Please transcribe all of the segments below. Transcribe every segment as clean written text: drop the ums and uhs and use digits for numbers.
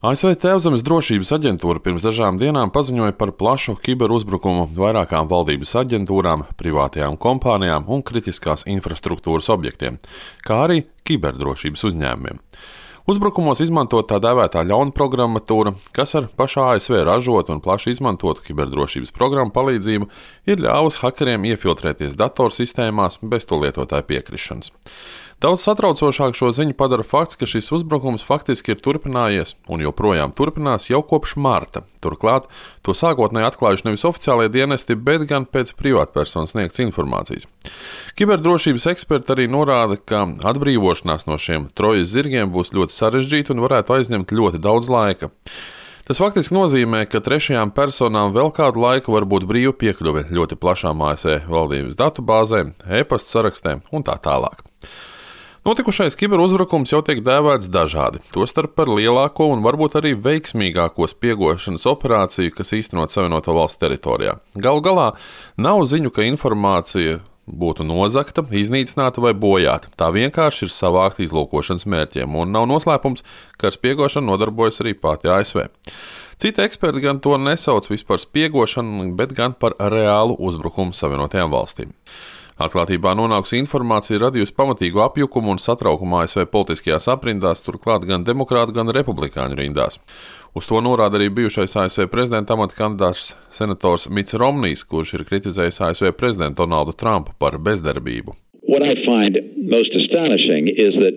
ASV Tēvzemes drošības aģentūra pirms dažām dienām paziņoja par plašu kiberuzbrukumu vairākām valdības aģentūrām, privātajām kompānijām un kritiskās infrastruktūras objektiem, kā arī kiberdrošības uzņēmumiem. Uzbrukumos izmantot tā dēvētā ļaunprogrammatūra, kas ar pašā ASV ražotu un plaši izmantotu kiberdrošības programmu palīdzību ir ļāvusi hakeriem iefiltrēties datorsistēmās bez to lietotāju piekrišanas. Daudz satraucošāk šo ziņu padara fakts, ka šis uzbrukums faktiski ir turpinājies un joprojām turpinās jau kopš marta. Turklāt to sākotnēji atklājuši nevis oficiālie dienesti, bet gan pēc privātpersonas sniegtas informācijas. Kiberdrošības eksperti arī norāda, ka atbrīvošanās no šiem trojas zirgiem būs ļoti sarežģīta un varētu aizņemt ļoti daudz laika. Tas faktiski nozīmē, ka trešajām personām vēl kādu laiku var būt brīva piekļuve ļoti plašām ASV valdības datubāzēm, e-pasta sarakstiem un tā tālāk. Notikušais kiberuzbrukums jau tiek dēvēts dažādi, tostarp par lielāko un varbūt arī veiksmīgāko spiegošanas operāciju, kas īstenot Savienoto Valstu teritorijā. Galu galā nav ziņu, ka informācija būtu nozagta, iznīcināta vai bojāta. Tā vienkārši ir savākta izlūkošanas mērķiem, un nav noslēpums, ka ar spiegošanu nodarbojas arī pati ASV. Citi eksperti gan to nesauc vispār spiegošanu, bet gan par reālu uzbrukumu Savienotajām valstīm. Atklātībā nonākusi informācija radījusi pamatīgu apjukumu un satraukumu ASV politiskajās aprindās, turklāt gan demokrātu, gan republikāņu rindās. Uz to norāda arī bijušais ASV prezidenta amata kandidāts senators Mitts Romnijs, kurš ir kritizējis ASV prezidentu Donaldu Trumpu par bezdarbību. What I find most astonishing is that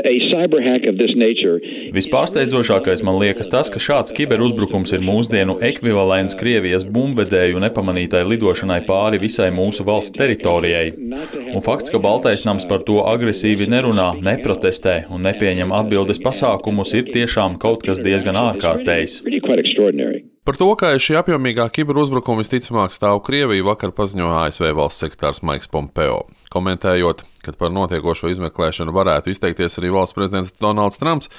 a cyber hack of this nature. Vispārsteidzošākais man liekas tas, ka šāds kiberuzbrukums ir mūsdienu ekvivalents Krievijas bumbvedēju nepamanītai lidošanai pāri visai mūsu valsts teritorijai. Un fakts, ka Baltais nams par to agresīvi nerunā, neprotestē un nepieņem atbildes pasākumus, ir tiešām kaut kas diezgan ārkārtējs. Par to, kā šī apjomīgā kiberuzbrukuma visticamāk stāv Krieviju, vakar paziņoja ASV valsts sekretārs Maiks Pompeo. Komentējot, ka par notiekošo izmeklēšanu varētu izteikties arī valsts prezidents Donalds Trumps,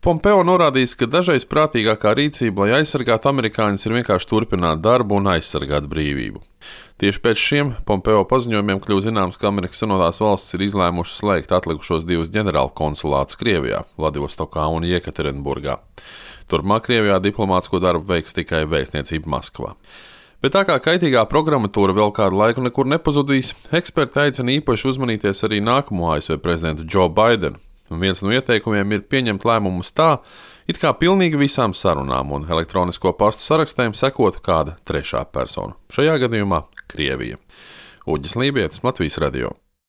Pompeo norādījis, ka dažreiz prātīgākā rīcība, lai aizsargātu amerikāņus, ir vienkārši turpināt darbu un aizsargāt brīvību. Tieši pēc šiem Pompeo paziņojumiem kļuva zināms, ka Amerikas Savienotās valstis ir izlēmušas slēgt atlikušos 2 ģenerāla konsulātus Krievijā, Vladivostokā un Jekaterinburgā. Turpmāk Krievijā diplomātsko darbu veiks tikai vēstniecība Maskavā. Bet tā kā kaitīgā programmatūra vēl kādu laiku nekur nepazudīs, eksperti aicina īpaši uzmanīties arī nākamo ASV prezidentu Joe Bidenu. Un viens no ieteikumiem ir pieņemt lēmumus tā, it kā pilnīgi visām sarunām un elektronisko pastu sarakstēm sekotu kāda trešā persona. Šajā gadījumā Krievija. Uģis Lībietis, Latvijas radio.